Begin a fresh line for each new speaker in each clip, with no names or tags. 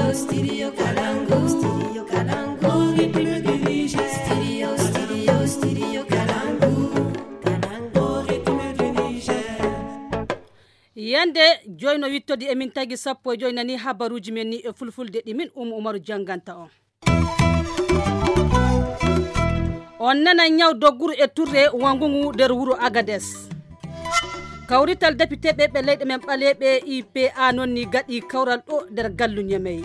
Yande joyno wittodi emin tagi sappo joynani habaruji men ni e fulfulde dimin Umaru janganta on nana nyaw dogguru e turre wangungu der wuro Agades kawrital député be leyde men balebe IPA nonni gadi kawral do der gallu nyamey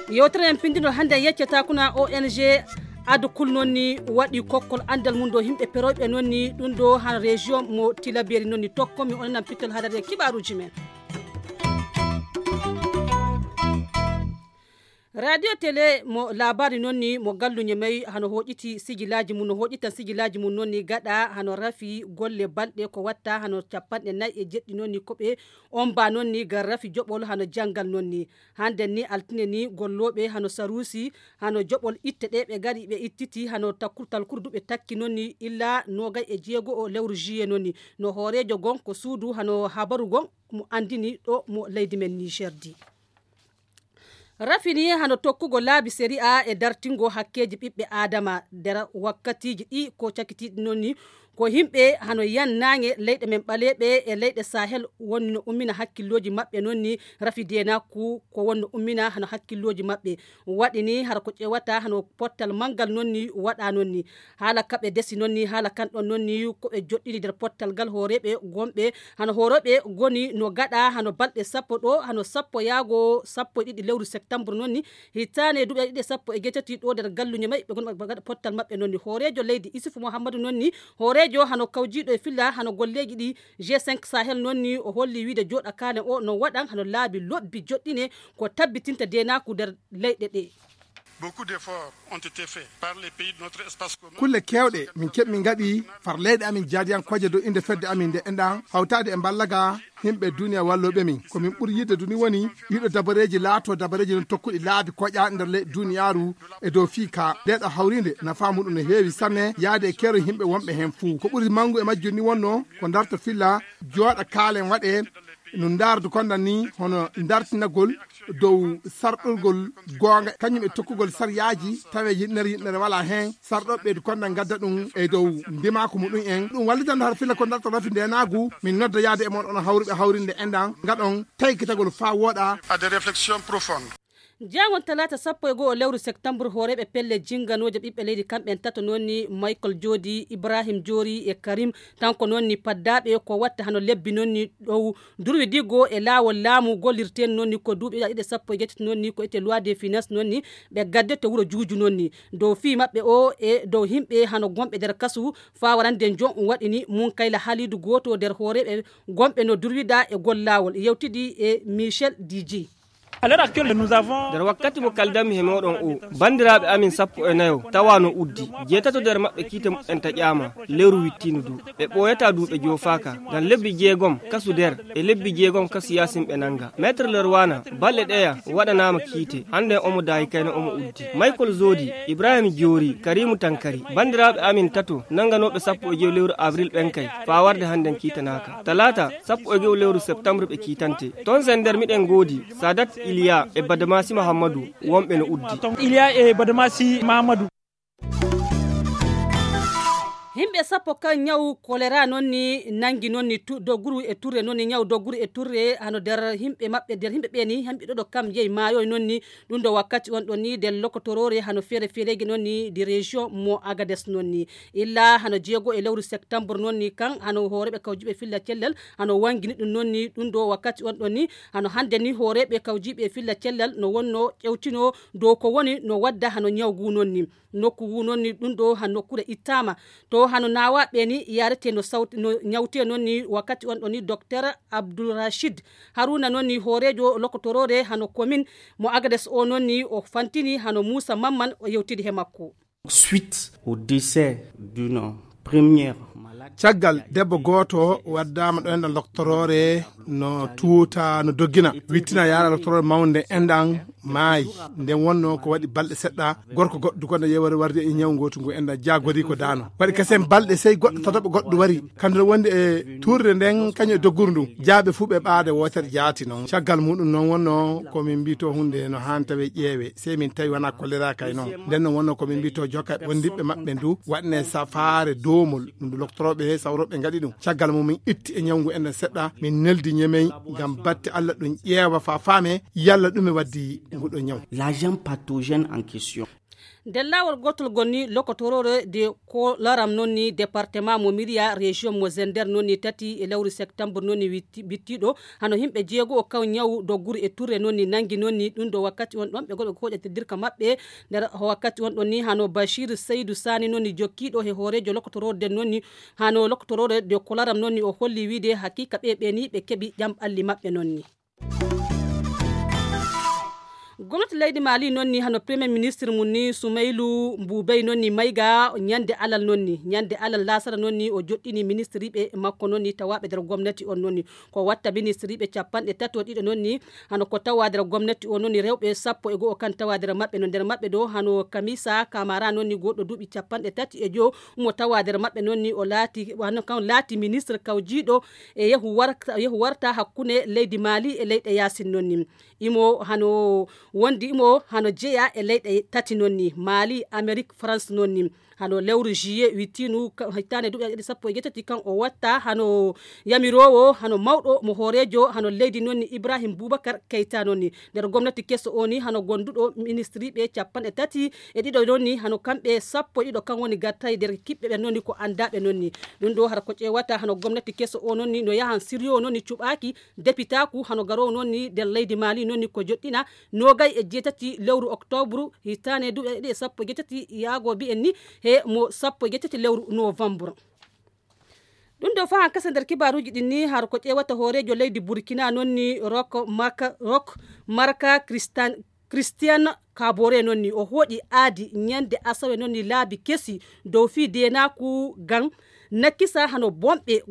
yewtere en pindino hande yeccata kuna ONG adu kul nonni wadi kokkol andal mundo himbe perobe nonni dum do han région mo Tilaberi nonni tokkomi onan pitel hadare kibaruji men radio télé mo labari nonni mo gallu nyamay hano hojiti sigilaji mun no hojitan sigilaji mun nonni gada hano rafi golle balde ko watta hano capande nay e jeddi nonni kobe on ba nonni gar rafi jobol hano jangal nonni hande ni altine ni gollobe hano sarusi hano jobol itte de be gari be ittiti hano takurtal kurdube takki nonni illa noga e jeego o lewru juillet nonni no horejo gon ko suudu hano habaru gon mo andini do mo leydi men Niger di rafini hano tokkugo laabi série A e dartingo hakkeji bibbe adama der wakkatiji di ko cakiti nonni ko himbe hano yannange leyde men balebe e leyde Sahel wonno ummina hakkilloji mabbe nonni rafidena ko wonno ummina hano hakkilloji mabbe wadini har ko cewata hano pottal mangal nonni wada nonni hala kabe desi nonni hala kan don nonni ko be joddidi der pottal gal horebe gombe hano horobe goni no gada hano balde sappo do hano sappo yaago sappo didi lewru septembre nonni hitane dubbe didi sappo e getati do der gallu nyamay be gon gada pottal mabbe nonni horejo leydi Isufu Muhammadu nonni horejo hano kawjido e filla hano golleji di G5 Sahel nonni o holli wiide joda kane o no wadan hano laabi lobbi joddine ko tabbitinta dena ku der leyde de
Beaucoup d'efforts ont été faits par les pays de notre espace commun.
Kulle kewde min kebmi ngadi far leyde amin jaadiyan koje do inde fedde amin de endan hawtade e ballaga himbe duniya wallobe min ko min buri yidde duni woni yido dabareji laato dabareji non tokkudi laabi koja nder le duniyaru e do fika dedo hawrinde na famudu no heewi sanne yaade kero himbe wonbe hen fu ko buri mangu e majjoni wonno ko darto filla jooda kaalen wade no ndardu kondan ni hono dartinagol dow sardolgol gonga kanyum e tokkugol saryaji tawe yinnere wala hen sardobbe du kondan gadda dum e dow ndima ko mudun en dum wallidan har filla ko darto rafi ndenagu min nodda yaade e mon on hawrinde endan gadon taykitagol fa woda
à des réflexions profondes.
Jangon talata sappo e go lewru septembre horebe pelle jinganoje bibbe leydi kamben tato nonni Michael Jodi Ibrahim Jori e Karim tanko nonni paddabe ko watta hano lebbi nonni dow durwi digo e lawol laamu golirten nonni ko duubi ide sappo e jetti nonni ko ete loi des finances nonni be gadde to wuro juuju nonni dow fi mabbe o e dow himbe hano gombe der kasu fa warande jon wadini mun kayla halidu goto der horebe gombe no durwida e gollawol yewtidi e Michel DJ.
À l'heure actuelle, nous avons der wakkati mo kaldami he modon o bandirabe amin sappo e nayo tawano uddi jetato der mabbe kite en ta ƴama lewru wittinu du be boyata duube jofaka dan lebbi jeegom kasu der e lebbi jeegom kasu yasim be nanga maître lerwana balle deya wadanama kite hande omo dai kayno omo uddi Michael Zodi Ibrahim Jori Karimu Tankari bandirabe amin tato nanganobe sappo e jew lewru avril ben kay fa warde handen kitanaka talata sappo e jew lewru septembre be kitante ton sender miden godi Sadat Iliya e Badamasi Mahamadou wombe no uddi
Iliya e Badamasi Mahamadou
himbe sappo kan nyaw kolera nonni nangi nonni doguru e turre nonni nyaw doguru e turre hano der himbe mabbe der himbe beni hambe do kam jeey maayo nonni dum do wakkati on do ni del lokotorore hano fere nonni di région mo Agades nonni illa hano jeego e lewru septembre nonni kan hano horebe kawjibe filla cellal hano wangini dum nonni dum do wakkati on do ni hano hande ni horebe kawjibe filla cellal no wonno cewtino do ko woni no wadda hano nyawgu nonni nokku nonni dum do hano kure itama to hano nawa beni yarete no sauti no nyawte nonni wakati on doni docteur Abdul Rashid Haruna nonni horejo lokotorore hano commune mo Agades o nonni o fantini hano Musa Mamman o yewtidi he makko
suite au décès d'une première
caggal debbo goto waddama do en doctorore no tuuta no doggina wittina yara doctorore mawnde endan maayi nden wonno ko waɗi balɗe seɗɗa gorko goɗɗo kono yewere warde e ñaw gotu ngu enda jagori ko dano waɗi kasen balɗe sey goɗɗo tataɓo goɗɗo wari kandu wonde e turde nden kañum e dogguru ndu jaaɓe fu ɓe ɓaade wotere jaati noon caggal muɗum noon wonno komin mbito hunde no han tawe ƴeewe sey min tawi wona choléra kay noon nden noon wonno komin mbito jokka wondiɓe maɓɓe ndu waɗne safare domol ɗum doctoroɓe sawroɓe gaɗi ɗum caggal mum min itti e ñawngu enden seɗɗa min neldi ñemey ngam batte Allah ɗum ƴeewa fa faame yalla ɗum e waddi nguɗo ñaw
l'agent pathogène en question.
nder lawol gotol gonni lokotorore de ko laram nonni département mo miriya région mo zender nonni tati e lewru septembre nonni bittiɗo hano himɓe jeego o kaw ñaw dogguru e touré nonni nangi nonni ɗum do wakkati on ɗon ɓe goɗo hoƴatirdirka maɓɓe nder wakkati on ɗon ni hano Bachir Seydou Sani nonni jokkiɗo he hoorejo lokotorode nonni hano lokotorode de ko laram nonni o holli wiide hakika ɓe ni ɓe keɓi ƴamɓalli maɓɓe nonni. Gwamnati leydi Mali nonni hano premier ministre munni Soumaïlou Mboubey nonni mayga nyande alal nonni nyande alal lasara nonni o joddini ministre be makko nonni tawabe der gwamnati on nonni ko watta ministre be capande tato dido nonni hano ko tawa der gwamnati on nonni rewbe sappo e go kan tawa der mabbe non der mabbe do hano Kamisa Kamara nonni goddo dubi capande tati e jo mo tawa der mabbe nonni o laati hano kan laati ministre kawjido e yehu warta hakkune leydi Mali e leyde Yasin nonni imo hano wondi imo hano jeya e leyde tati nonni Mali Amerique France nonni hano lewru juillet wittinu hitane duɓe sappo e jettati kan o watta hano yamirowo hano mawɗo mo horejo hano leydi nonni Ibrahim Boubacar Keita nonni nder gomnati kesso oni hano gonduɗo ministre ɓe capanɗe tati e ɗiɗo nonni hano kamɓe sappo ɗiɗo kan woni gattay nder kiɓɓe ɓe nonni ko andaɓe nonni ɗum ɗo har ko ƴewata hano gomnati kesso o nonni no yahan siryo nonni cuɓaki dépitaku hano garowo nonni nder leydi Mali nonni ko joɗɗina nogay e jeetati lewru octobre hitane duɓe ɗiɗi sappo e jettati yaago bi en ni he mo sappo e jettati lewru novembre ɗum ɗo fa kasa nder kibaruji ɗin ni har ko ƴewata hoorejo leydi Burkina nonni Roch Marca Christian Kabore nonni o hoɗi aadi nyande asawe nonni laabi kesi dow fi denaku gang nakisa hano gombe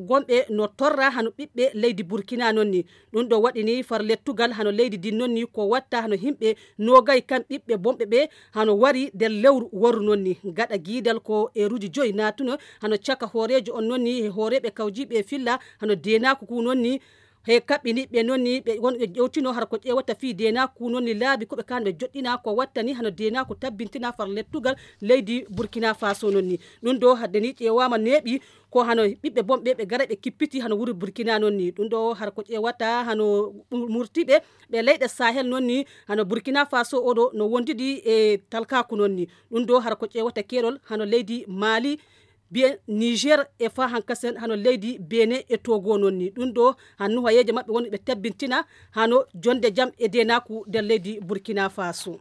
no torra hano ɓiɓɓe leydi Burkina nonni ɗum ɗo waɗini far lettugal hano leydi din nonni ko watta hano himɓe nogay kan ɓiɓɓe bomɓe ɓe hano wari nder lewru waru nonni gaɗa giidal ko eruji joyi natuno hano caka hoorejo on nonni e hooreɓe kawjiɓe filla hano denaku ku nonni he kaɓɓini ɓe nonni ɓe gonɓe ƴewtino har ko ƴewata fi denaku nonni laabi koɓe kanɓe joɗɗina ko wattani hano denaku tabbintina far lettugal leydi Burkina Faso nonni ɗum ɗo haddeni ƴewama neeɓi ko hano ɓiɓɓe bomɓe ɓe gara ɓe kippiti hano wuri Burkina nonni ɗum ɗo har ko ƴewata hano murtiɓe ɓe leyɗe Sahel nonni hano Burkina Faso oɗo no wondidi e talkaku nonni ɗum ɗo har ko ƴewata kerol hano leydi Mali bien Niger e fa hankasen hano leydi Benin e Togo nonni ɗum ɗo hannu hayeje mabɓe woni ɓe tabbintina hano jonde jam e denaku nder leydi Burkina Faso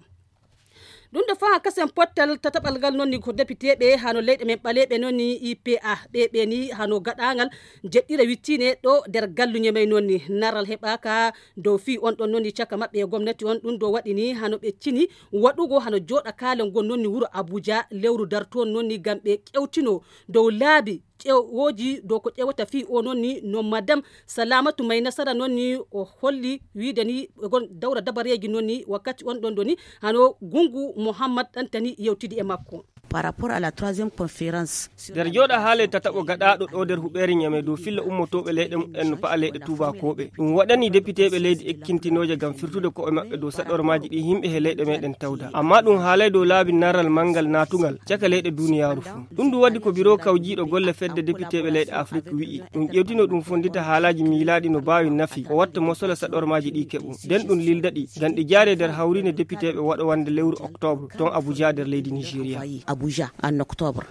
ɗum ɗo fa kasen pottal tataɓalgal nonni ko député ɓe hano leyɗe men ɓaleɓe nonni IPA ɓe ni hano gaɗangal jeɗɗire wittine ɗo nder galluñe may nonni naral heɓaka dow fi on ɗon nonni caka maɓɓe e gomnati on ɗum ɗo waɗini hano ɓe cini waɗugo hano joɗa kalen gon nonni wuro Abuja lewru darton nonni gam ɓe ƴewtino dow laabi woji dow ko ƴewata fi o nonni no madame Salamatu May Nasara nonni o holli wiide ni gon dawra dabareji nonni wakkati on ɗon doni hano Gungu Mohammad Antani yewtidi e makko
par rapport à la troisième conférence
der joɗa haale tataɓo gaɗaɗo ɗo nder huɓere ñame dow filla ummotoɓe leyɗe en no pa'a leyɗe tubakoɓe ɗum waɗani député ɓe leydi ekkintinoje gam firtude koɓe maɓɓe dow saɗormaji ɗi himɓe he leyɗe meɗen tawda amma ɗum haalay dow laabi narral mangal natugal caka leyɗe duniyaru fu ɗum ɗum waddi ko biro kawjiɗo golle fedde député ɓe leyɗe Afrique wi'i ɗum ƴewtino ɗum fondita haalaji miilaɗi no bawi nafi o watta mosola saɗormaji ɗi keɓu nden ɗum lildaɗi gam ɗi jaare nder hawrine député ɓe waɗa wande lewru octobre ton Abuja nder leydi Nigeria
Abuja en octobre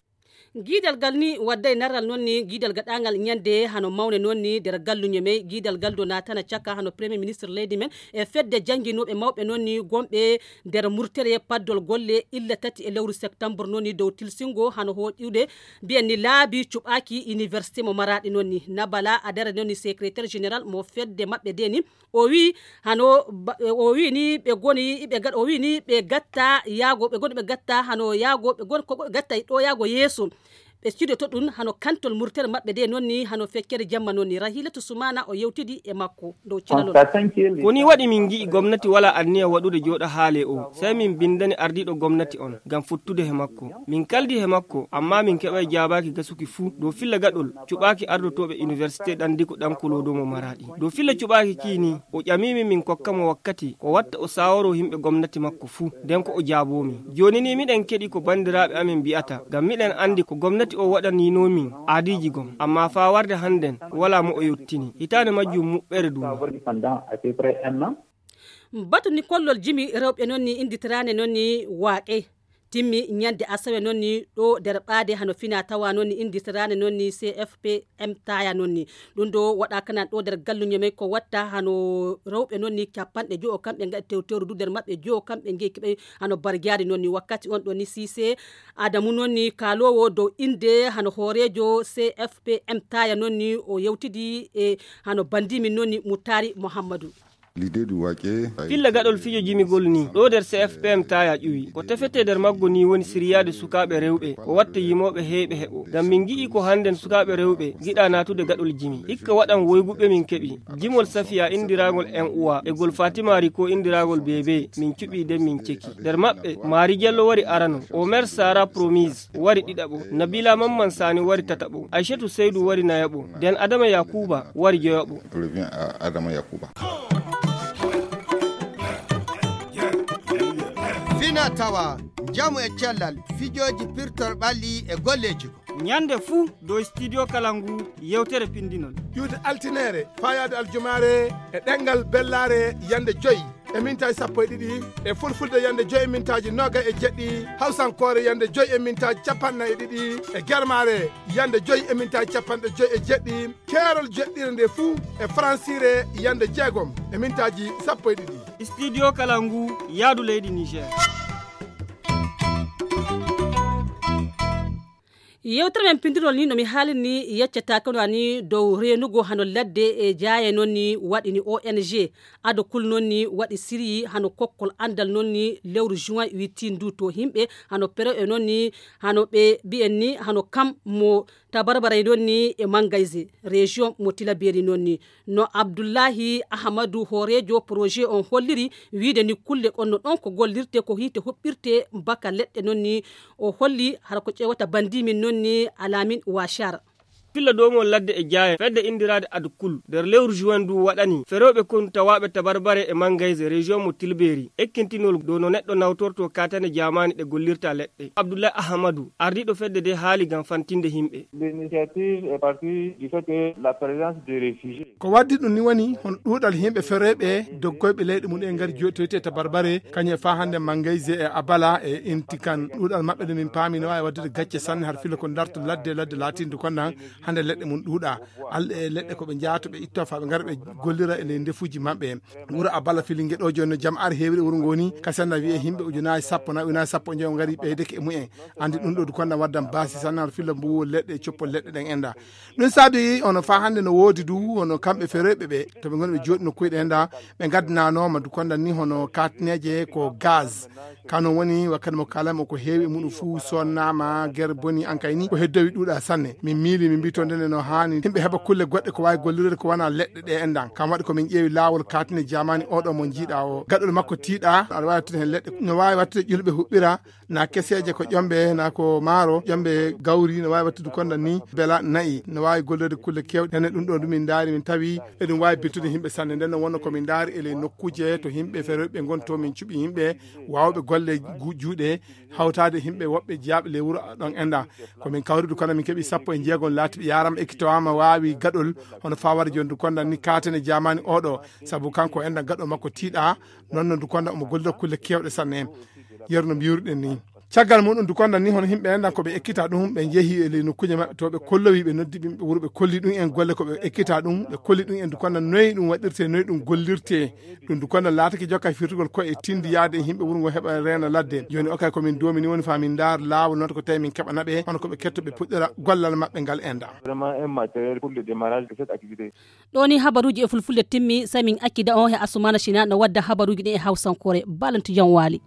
guidal gal ni wadday naral nonni guidal gaɗangal ñande hano mawne nonni nder galluñe may guidal gal do natana caka hano premier ministre leydi men e fedde janginoɓe mawɓe nonni gomɓe nder murtere paddol golle illa tati e lewru septembre nonni dow tilsingo hano hoƴude mbiyen ni laabi cuɓaki université mo Maradi nonni Nabala Adara nonni secrétaire général mo fedde maɓɓe deni o wi hano o wi ni ɓe goni o wi ni ɓe gatta yaago ɓe goni ɓe gatta hano yaago ɓe goni ko gatta ɗo yaago yeeso ɓe studio to ɗum hano kantol murtere maɓɓe de noon ni hano feccere jamma noon ni Rahilatu Sumana o yewtidi e makko dow cinalol
koni waɗi min gi'i gomnati wala anniya waɗude joɗa haale o sai min bindani ardiɗo gomnati on gam futtude he makko min kaldi he makko amma min keɓay jabaki gasuki fuu dow filla gaɗol cuɓaki ardotoɓe université ɗandiko ɗankulodomo Maradi dow filla cuɓaki kini o ƴamimi min kokkamo wakkati o watta o saworo himɓe gomnati makko fuu nden ko o jaabomi joni ni miɗen keɗi ko bandiraɓe amin mbiyata gam miɗen andi ko gomnati o waɗaninomin aadiji gom amma fa warde hannden wala mo o yottini hitande majjum muɓɓere duma
batu ni kollol jimi rewɓe noon ni inditirane noon ni waaqe timmi ñande asawe noon ni ɗo nder ɓaade hano fina tawa noon ni inditirane noon ni CFPM taya noon ni ɗum ɗo waɗaka ɗo nder galluño ko watta hano rewɓe noon ni capanɗe jo'o kamɓe gaɗi tewteru du nder maɓɓe jo'o kamɓe ngi keɓe hano bargiade noon ni wakkati on ɗo ni Cissé Adamu noon ni kalowo dow inde hano hoorejo CFPM taya noon ni o yewtidi e hano bandimin noon ni Moutari Mouhamadou
l'idée du waƙe
filla gaɗol fijo jimigol ni ɗo nder CFPM taya ƴuwi ko tefete nder maggo ni woni siriyade sukaɓe rewɓe ko watta yimoɓe heeɓe heɓo ngam min gi'i ko hannden sukaɓe rewɓe giɗa natude gaɗol jimi hikka waɗan woyguɓe min keɓi jimol Safiya indiragol en uwa e gol Fatimari ko indiragol bebe min cuɓi den min ceki nder maɓɓe Mari Diallo wari arano Omer Sara Promise wari ɗiɗaɓo Nabila Mamman Sani wari tataɓo Aishatou Seydou wari nayaɓo nden Adama Yakuba wari joyaɓo
Adama Yakuba
fina tawa jamu e cellal fijoji pirtor ɓalli e golleji
ñande fuu dow studio Kalangu yewtere pindinol
yude altinere fayade aljumare e ɗengal bellare yande 5 e mintaji 12 e fulfulde yande 5 e mintaji 27 hawsankore yande 5 e mintaji 42 e germare yande 5 e mintaji 57 keerol jeɗɗire nde fuu e francire yande 6 e mintaji 12
studio Kalangu yaadu leydi Niger
yewtere men pindirol ni no mi haalini yeccata kono ni dow renugo hano ladde e jaaye noon ni waɗi ni ONG ado kul noon ni waɗi siri hano kokkol andal noon ni lewru juin wittin du to himɓe hano pero e noon ni hano ɓe mbi'en ni hano kam mo tabarbaray noon ni e Mangayse région mo Tilaberi noon ni no Abdoullahi Ahmadou hoorejo projet on holliri wiide ni kulle onno ɗon ko gollirte ko hite huɓɓirte baka leɗɗe noon ni o holli hara ko ƴewata bandimin noon ni Alamin Wachar
pilla domol ladde e jaaye fedde indirade adukul der lewru juin du waɗani feroɓe kon tawaɓe tabarbare e Mangayse région mo Tilberi ekkintinol do no neɗɗo nawtorto katane jamani ɗe gollirta leɗɗe Abdoulaye Ahmadou ardiɗo fedde de haali gam fantinde himɓe
l'initiative est partie du fait que la présence des réfugiés
ko waddi ɗum ni woni hon ɗuɗal himɓe feroɓe doggoyɓe leyɗe mum e ngari jotoyte tabarbare kañe fa hande Mangayse e Abala e Intikan ɗuɗal maɓɓe ɗe min paami no wawi waddude gacce sanne har fila ko darto ladde latinde konnan hande leɗɗe mum ɗuuɗa alɗe e leɗɗe koɓe jaato ɓe itto fa ɓe gara ɓe gollira e ndefuji maɓɓe wuro Abala filingue ɗo joni no jaam ar heewri wuro ngoni kasanna wiye himɓe ujunaji 10 na ujunaji 10 jeego gari ɓeydeke e mumen andi ɗum ɗo konda waddan baasi sanne har filla mbuwo leɗɗe coppol leɗɗe ɗen enda ɗum saabi ono fa hande no woodi du hono kamɓe feroɓe ɓe to ɓe goni ɓe jooɗi nokkuji enda ɓe gaddananoma du konda ni hono katneje ko gaz kano woni wakkati mo kalamo ko heewi muɗum fuu sonnama guerre boni an kayni ko heddowi ɗuuɗa sanne min miili min mbi to ndene no hani himɓe heɓa kulle goɗɗe ko wawi gollirde ko wona leɗɗe ɗe endan kam waɗi komin ƴeewi lawol katine jamani oɗo mo jiiɗa o gaɗol makko tiiɗa aɗa wawi wattude hen leɗɗe no wawi wattude ƴulɓe huɓɓira na keseje ko ƴomɓe na ko maaro ƴomɓe gawri no wawi wattude konda ni beela nayyi no wawi gollirde kulle kewɗe ene ɗum ɗo ɗumin daari min tawi eɗum wawi bettude himɓe sanne nden no wonno komin daari ele nokkuje to himɓe feroɓe gonto min cuɓi yimɓe wawɓe golle juuɗe hawtade himɓe woɓɓe jeyaɓe le wuuro ɗon enda komin kawridu kono min keeɓi 16 laatiɓe yarama ekkitowama wawi gaɗol hono fawade joni du konda ni katene jamani oɗo saabu kanko enda gaɗo makko tiiɗa nonno du konda omo gollira kulle kewɗe sanne yerno mbiyruɗen ni caggal muɗum du konda ni hono himɓe endan koɓe ekkita ɗum ɓe jeehi e nokkuje maɓɓe to ɓe kollowi ɓe noddi ɓe wuuro ɓe kolli ɗum en golle koɓe ekkita ɗum ɓe kolli ɗum en du konda noyi ɗum waɗirte noyi ɗum gollirte ɗum du konda laatake jokka firtugol ko e tindi yaade e himɓe wuuro ngo heɓa reena ladde joni o kay komin duomi ni woni fa min dar laawol noon ko tawi min keɓanaɓe hono koɓe ketto ɓe puɗɗira gollal maɓɓe ngal enda
vraiment un matériel pour le démarrage de cette activité
ɗo ni habaruji e fulfulde timmi sai min akkida on he Asumana China no wadda habaruji ɗi e hawsankore balantu jam waali